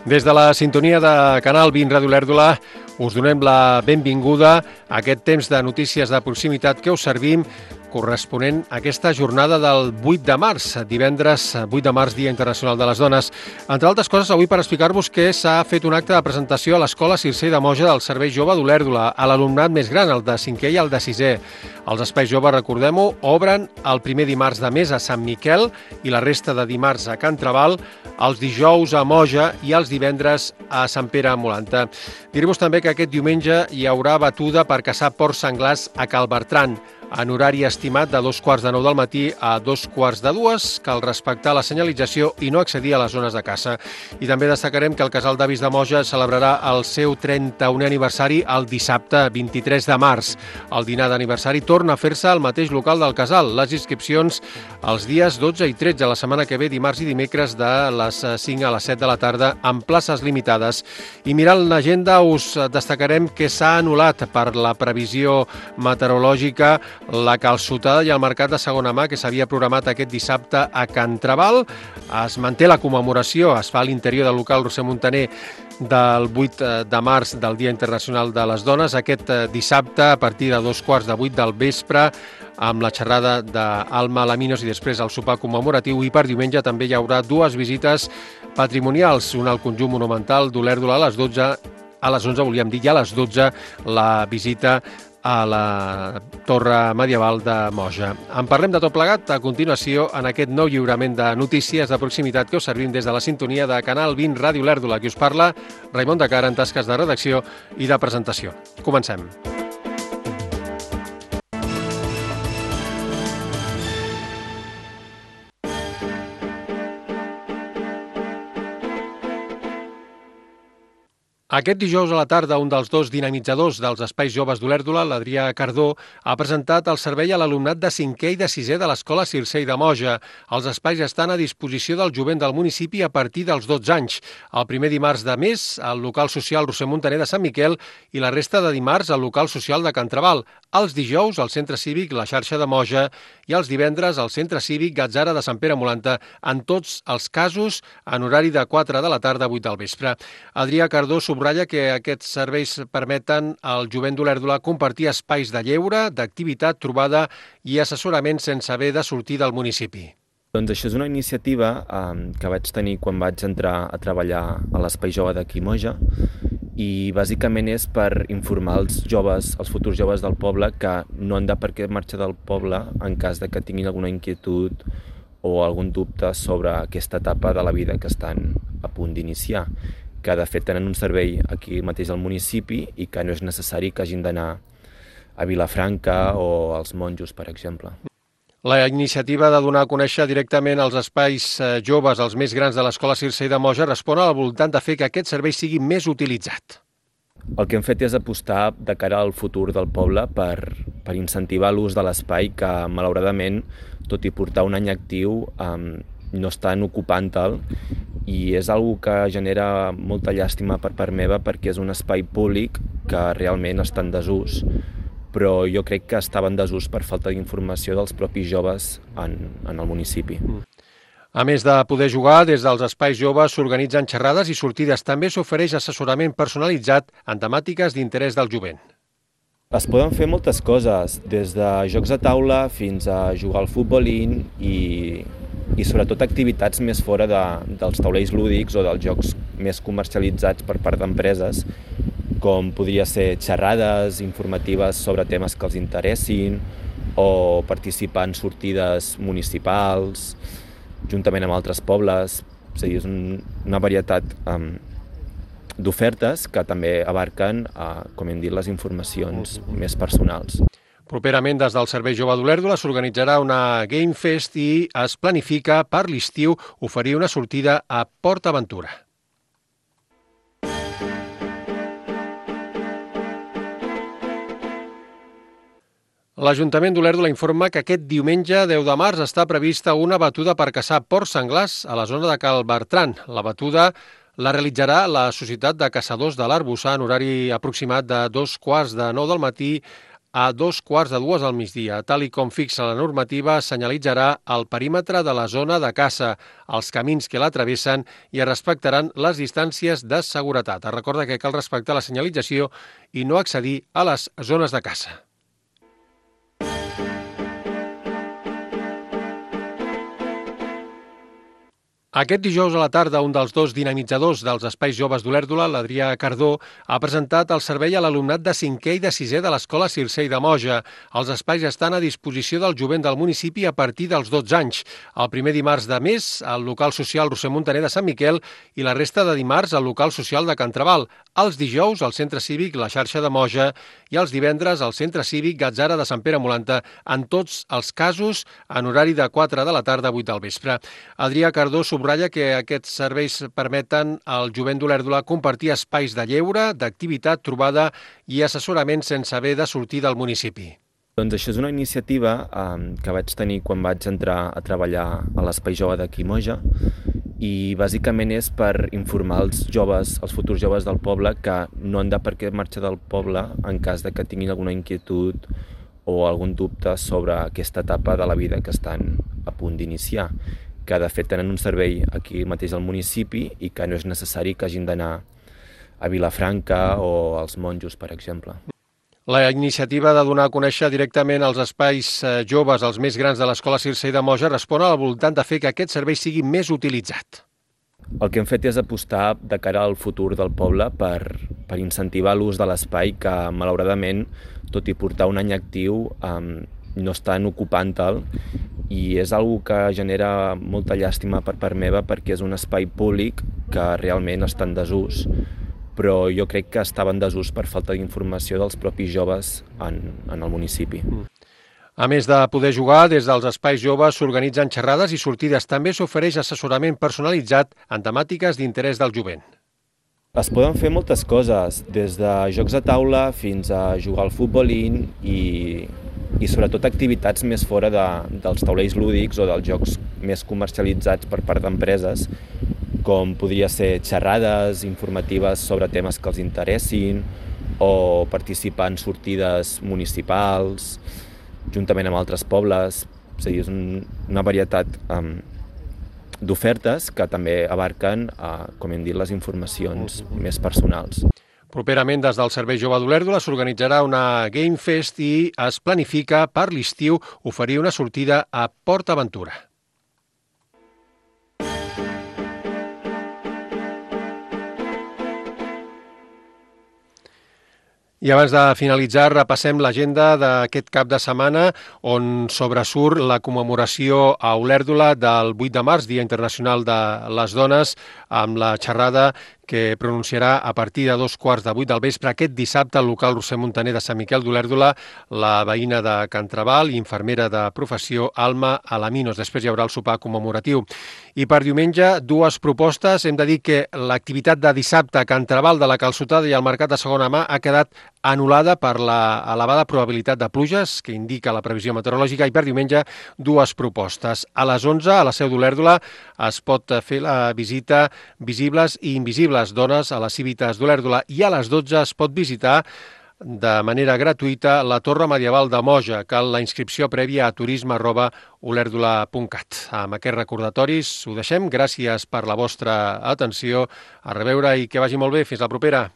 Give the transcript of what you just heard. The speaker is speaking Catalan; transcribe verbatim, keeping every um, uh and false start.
Des de la sintonia de Canal vint Ràdio Olèrdola us donem la benvinguda a aquest temps de notícies de proximitat que us servim corresponent a aquesta jornada del vuit de març, divendres vuit de març, Dia Internacional de les Dones. Entre altres coses, avui per explicar-vos que s'ha fet un acte de presentació a l'Escola Circé de Moja del Servei Jove d'Olèrdola, a l'alumnat més gran, el de cinquè i el de sisè. Els espais joves, recordem-ho, obren el primer dimarts de mes a Sant Miquel i la resta de dimarts a Can Trabal, els dijous a Moja i els divendres a Sant Pere Molanta. Diré-vos també que aquest diumenge hi haurà batuda per caçar porcs senglars a Cal Bertran, en horari estimat de dos quarts de nou del matí a dos quarts de dues. Cal respectar la senyalització i no accedir a les zones de caça. I també destacarem que el Casal d'Avis de Moja celebrarà el seu trenta-unè aniversari el dissabte vint-i-tres de març. El dinar d'aniversari torna a fer-se al mateix local del casal. Les inscripcions els dies dotze i tretze, la setmana que ve, dimarts i dimecres, de les cinc a les set de la tarda, amb places limitades. I mirant l'agenda us destacarem que s'ha anul·lat per la previsió meteorològica la calçotada i el mercat de segona mà que s'havia programat aquest dissabte a Can Trabal. Es manté la commemoració, es fa a l'interior del local Roser Montaner del vuit de març del Dia Internacional de les Dones, aquest dissabte a partir de dos quarts de vuit del vespre, amb la xerrada d'Alma Laminos i després el sopar commemoratiu. I per diumenge també hi haurà dues visites patrimonials, una al conjunt monumental d'Olèrdola a les dotze, a les onze volíem dir, i a les dotze la visita a la Torre Medieval de Moja. En parlem de tot plegat a continuació en aquest nou lliurament de notícies de proximitat que us servim des de la sintonia de Canal vint Ràdio Olèrdola. Qui us parla, Raimon de Cara, en tasques de redacció i de presentació. Comencem. Aquest dijous a la tarda, un dels dos dinamitzadors dels espais joves d'Olèrdola, l'Adrià Cardó, ha presentat el servei a l'alumnat de cinquè i de sisè de l'Escola Circé de Moja. Els espais estan a disposició del jovent del municipi a partir dels dotze anys. El primer dimarts de mes, al local social Roser Montaner de Sant Miquel i la resta de dimarts al local social de Can Trabal. Els dijous al Centre Cívic La Xarxa de Moja i els divendres al Centre Cívic Gatzara de Sant Pere Molanta, en tots els casos en horari de quatre de la tarda a vuit del vespre. Adrià Cardó subratlla que aquests serveis permeten al jovent d'Olèrdola compartir espais de lleure, d'activitat, trobada i assessorament sense haver de sortir del municipi. Doncs això és una iniciativa eh, que vaig tenir quan vaig entrar a treballar a l'Espai Jove d'aquí Moja, i bàsicament és per informar els joves, els futurs joves del poble, que no han de per què marxar del poble en cas de que tinguin alguna inquietud o algun dubte sobre aquesta etapa de la vida que estan a punt d'iniciar, que de fet tenen un servei aquí mateix al municipi i que no és necessari que hagin d'anar a Vilafranca o als Monjos, per exemple. La iniciativa de donar a conèixer directament els espais joves, els més grans de l'Escola Circé de Moja, respon a la voluntat de fer que aquest servei sigui més utilitzat. El que hem fet és apostar de cara al futur del poble per, per incentivar l'ús de l'espai que, malauradament, tot i portar un any actiu, eh, no estan ocupant-te'l, i és una que genera molta llàstima per part meva perquè és un espai públic que realment està en desús, però jo crec que estava en desús per falta d'informació dels propis joves en, en el municipi. A més de poder jugar, des dels espais joves s'organitzen xerrades i sortides. També s'ofereix assessorament personalitzat en temàtiques d'interès del jovent. Es poden fer moltes coses, des de jocs a taula fins a jugar al futbolín i, i sobretot activitats més fora de, dels taulells lúdics o dels jocs més comercialitzats per part d'empreses, com podria ser xerrades informatives sobre temes que els interessin o participar en sortides municipals, juntament amb altres pobles. És a dir, és un, una varietat um, d'ofertes que també abarquen, uh, com hem dit, les informacions més personals. Properament, des del Servei Jove d'Olèrdola s'organitzarà una Game Fest i es planifica per l'estiu oferir una sortida a Port Aventura. L'Ajuntament d'Olèrdola informa que aquest diumenge deu de març està prevista una batuda per caçar porcs senglars a la zona de Cal Bertran. La batuda la realitzarà la Societat de Caçadors de l'Arboçar en horari aproximat de dos quarts de nou del matí a dos quarts de dues al migdia. Tal i com fixa la normativa, senyalitzarà el perímetre de la zona de caça, els camins que la travessen i es respectaran les distàncies de seguretat. Es recorda que cal respectar la senyalització i no accedir a les zones de caça. Aquest dijous a la tarda, un dels dos dinamitzadors dels Espais Joves d'Olèrdola, l'Adrià Cardó, ha presentat el servei a l'alumnat de cinquè i de sisè de l'Escola Circei de Moja. Els espais estan a disposició del jovent del municipi a partir dels dotze anys. El primer dimarts de mes, al local social Roser Montaner de Sant Miquel i la resta de dimarts al local social de Can Trabal. Els dijous al Centre Cívic La Xarxa de Moja i els divendres al Centre Cívic Gatzara de Sant Pere Molanta, en tots els casos en horari de quatre de la tarda a vuit del vespre. Adrià Cardó subratlla que aquests serveis permeten al jovent d'Olèrdola compartir espais de lleure, d'activitat, trobada i assessorament sense haver de sortir del municipi. Doncs això és una iniciativa eh, que vaig tenir quan vaig entrar a treballar a l'Espai Jove d'aquí Moja i bàsicament és per informar els joves, els futurs joves del poble que no han de per què marxar del poble en cas de que tinguin alguna inquietud o algun dubte sobre aquesta etapa de la vida que estan a punt d'iniciar, que de fet tenen un servei aquí mateix al municipi i que no és necessari que hagin d'anar a Vilafranca o als Monjos, per exemple. La iniciativa de donar a conèixer directament els espais joves, els més grans de l'Escola Circei de Moja, respon a la voluntat de fer que aquest servei sigui més utilitzat. El que hem fet és apostar de cara al futur del poble per, per incentivar l'ús de l'espai que, malauradament, tot i portar un any actiu, eh, no estan ocupant-te'l i és una cosa que genera molta llàstima per part meva perquè és un espai públic que realment està en desús, però jo crec que estava en desús per falta d'informació dels propis joves en, en el municipi. A més de poder jugar, des dels espais joves s'organitzen xerrades i sortides. També s'ofereix assessorament personalitzat en temàtiques d'interès del jovent. Es poden fer moltes coses, des de jocs a taula fins a jugar al futbolín i, i sobretot activitats més fora de, dels taulells lúdics o dels jocs més comercialitzats per part d'empreses, com podria ser xerrades informatives sobre temes que els interessin o participar en sortides municipals, juntament amb altres pobles. És a dir, és un, una varietat um, d'ofertes que també abarquen, uh, com hem dit, les informacions més personals. Properament, des del Servei Jove d'Olèrdola s'organitzarà una Game Fest i es planifica per l'estiu oferir una sortida a Port Aventura. I abans de finalitzar, repassem l'agenda d'aquest cap de setmana on sobresurt la commemoració a Olèrdola del vuit de març, Dia Internacional de les Dones, amb la xerrada que pronunciarà a partir de dos quarts de vuit del vespre aquest dissabte al local Roser Montaner de Sant Miquel d'Olèrdola la veïna de Can Trabal i infermera de professió Alma Alaminos. Després hi haurà el sopar commemoratiu. I per diumenge, dues propostes. Hem de dir que l'activitat de dissabte a Can Trabal de la Calçotada i el Mercat de Segona Mà ha quedat anul·lada per la elevada probabilitat de pluges que indica la previsió meteorològica i per diumenge dues propostes. A les onze, a la Seu d'Olèrdola, es pot fer la visita Visibles i Invisibles, dones a les Cívites d'Olèrdola, i a les dotze es pot visitar de manera gratuïta la Torre Medieval de Moja. Cal la inscripció prèvia a turisme arroba olèrdola punt cat. Amb aquests recordatoris ho deixem. Gràcies per la vostra atenció. A reveure i que vagi molt bé. Fins la propera.